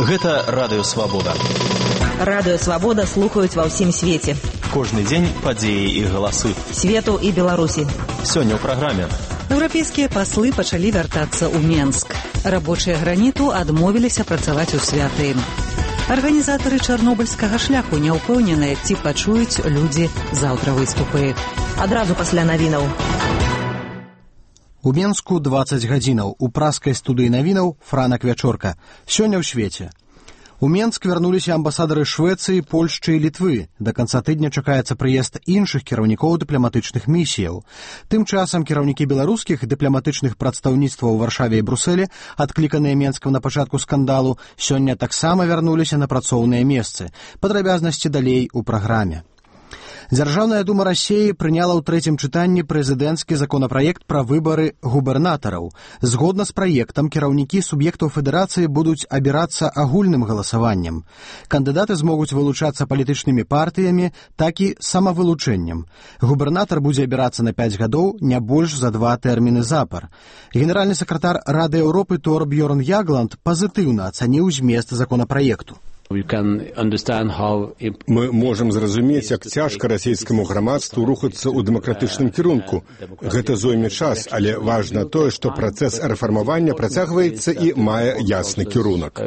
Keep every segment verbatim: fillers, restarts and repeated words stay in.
Гэта Радыё Свабода. Радыё Свабода слухаюць ва ўсім свеце. Кожны дзень падзеі і галасы. Свету і Беларусі. Сёння ў праграме. Еўрапейскія паслы пачалі вяртацца ў Менск. Рабочыя граніту адмовіліся працаваць у святы. Арганізатары чарнобыльскага шляху не ўпэўненыя, ці пачуюць людзі заўтра выступы. Адразу пасля навінаў. У Менску дваццаць гадзінаў. У праскай студыі навінаў Франак Вячорка. Сёння ў свеце. У Менск вярнуліся амбасадары Швецыі, Польшчы і Літвы. Да канца тыдня чакаецца прыезд іншых кіраўнікоў дыпламатычных місіяў. Тым часам кіраўнікі беларускіх дыпламатычных прадстаўніцтваў у Варшаве і Брусэле, адкліканыя Менскам на пачатку скандалу, сёння таксама вярнуліся на працоўныя месцы. Падрабязнасці далей у праграме. Дзяржаўная дума Расіі прыняла ў трэцім чытанні прэзідэнцкі законапраект пра выбары губернатараў. Згодна з праектам, кіраўнікі суб'ектаў федэрацыі будуць абірацца агульным галасаваннем. Кандыдаты змогуць вылучацца палітычнымі партыямі, так і самавылучэннем. Губернатар будзе абірацца на пяць гадоў, не больш за два тэрміны запар. Генеральны сакратар Рады Еўропы Торбьёрн Ягланд пазітыўна ацаніў змест законапраекту. Мы можам зразумець, як цяжка расійскаму грамадству рухацца ў дэмакратычным кірунку. Гэта зойме час, але важна тое, што працэс рэфармавання працягваецца і мае ясны кірунак.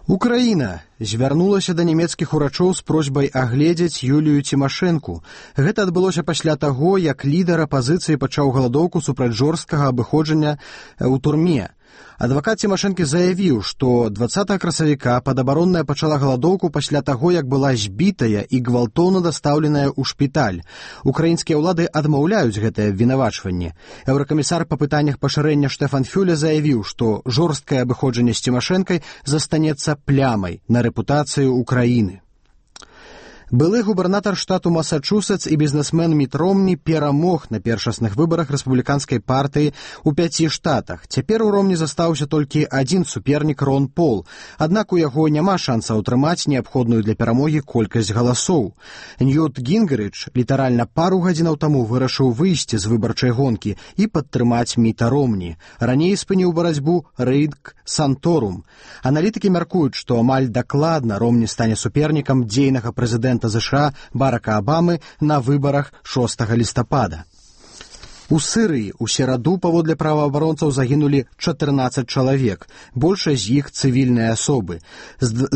Украіна звярнулася да нямецкіх урачоў з просьбай агледзець Юлію Цімашэнку. Гэта адбылося пасля таго, як лідар апазіцыі пачаў галадоўку супраць жорсткага абыходжання ў турме. Адвакат Цімашэнкі заявіў, што дваццатага красавіка падабаронная пачала галадоўку пасля таго, як была збітая і гвалтоўна дастаўленая ў шпіталь. Украінскія ўлады адмаўляюць гэтае абвінавачванне. Еўракамісар па пытаннях пашырэння Штэфан Фюле заявіў, што жорсткае абыходжанне з Цімашэнкай застанецца плямай на рэпутацыю Украіны. Былы губернатар штату Масачусетс і бізнесмен Міт Ромні перамог на першасных выбарах рэспубліканскай партыі ў пяці штатах. Цяпер у Ромні застаўся толькі адзін супернік Рон Пол, аднак у яго няма шанса ўтрымаць неабходную для перамогі колькасць галасоў. Ньют Гінгрыч літаральна пару гадзінаў таму вырашыў выйсці з выбарчай гонкі і падтрымаць Міта Ромні. Раней спыніў барацьбу Рынг Санторум. Аналітыкі мяркуюць, што амаль дакладна Ромні стане супернікам дзейнага прэзідэнта ЗША Барака Абамы на выбарах шостага лістапада. У Сырыі ў сераду паводле праваабаронцаў загінулі чатырнаццаць чалавек, большасць з іх цывільныя асобы. З